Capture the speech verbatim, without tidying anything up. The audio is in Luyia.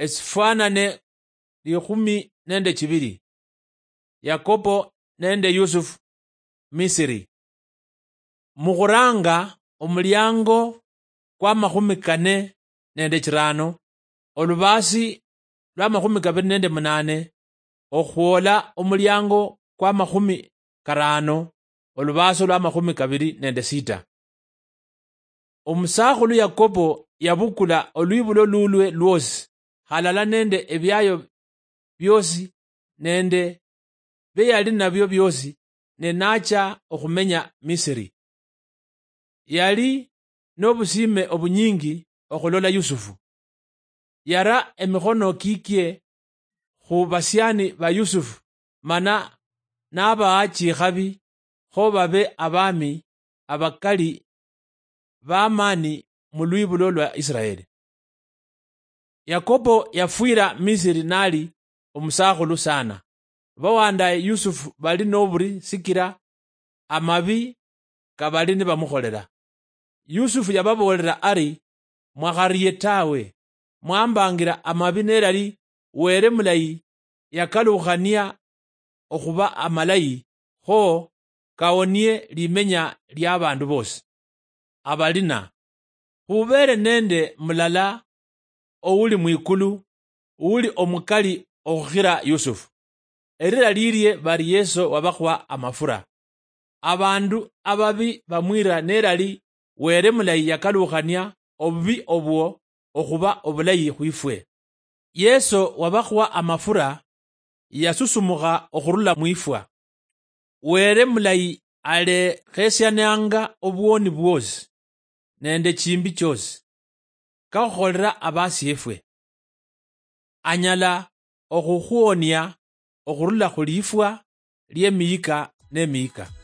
Esifwanane likhumi nende chibili. Yakobo nende Yusufu Misiri. Mukhuranga omuliango kwa makhumi kane nende chirano, olubasi lwa makhumi kabili nende munane, okhwola omuliango kwa makhumi karano, olubaso lwa makhumi kabili nende sita. Omusakhulu Yakobo yabukula olwibulo lulwe lwosi, halala nende ebiayo biosi nende bie yali nabio biosi, ne nacha okhumenya Misiri. Yali nobusime obunyingi okhulola Yusufu. Yara emikhono kikie khu basiani ba Yusufu, mana nabaha chikhabi, kho babe abami abakali bamani mu lwibulo lwa Israeli. Yakobo yafwira Misiri nali omusakhulu sana. Bawandaye Yusufu bali noburi sikira amabi kabali nibamukholela. Yusufu yababoolera ari, "Mwakharie tawe, mwambangira amabi nelali Were mulayi yakalukhania okhuba amalayi, kho kawonie limenya liabandu bosi." Abalina, khubere nende mulala ouli mwikulu, ouli omukali okhukhira Yusufu. Erira lirie bari Yeso wabakhwa amafura. Abandu ababi bamwira nelali Were mulayi yakalukhania obubi obwo okhuba obulayi khwifwe. Yeso wabakhwa amafura yasusumukha okhurula mwifwa. Were mulayi alekhesiananga obwoni bwosi nende chimbi chiosi, kakhukholera abasiefwe. Anyala okhukhuonia okhurula khulifwa liemiyika nemiyika.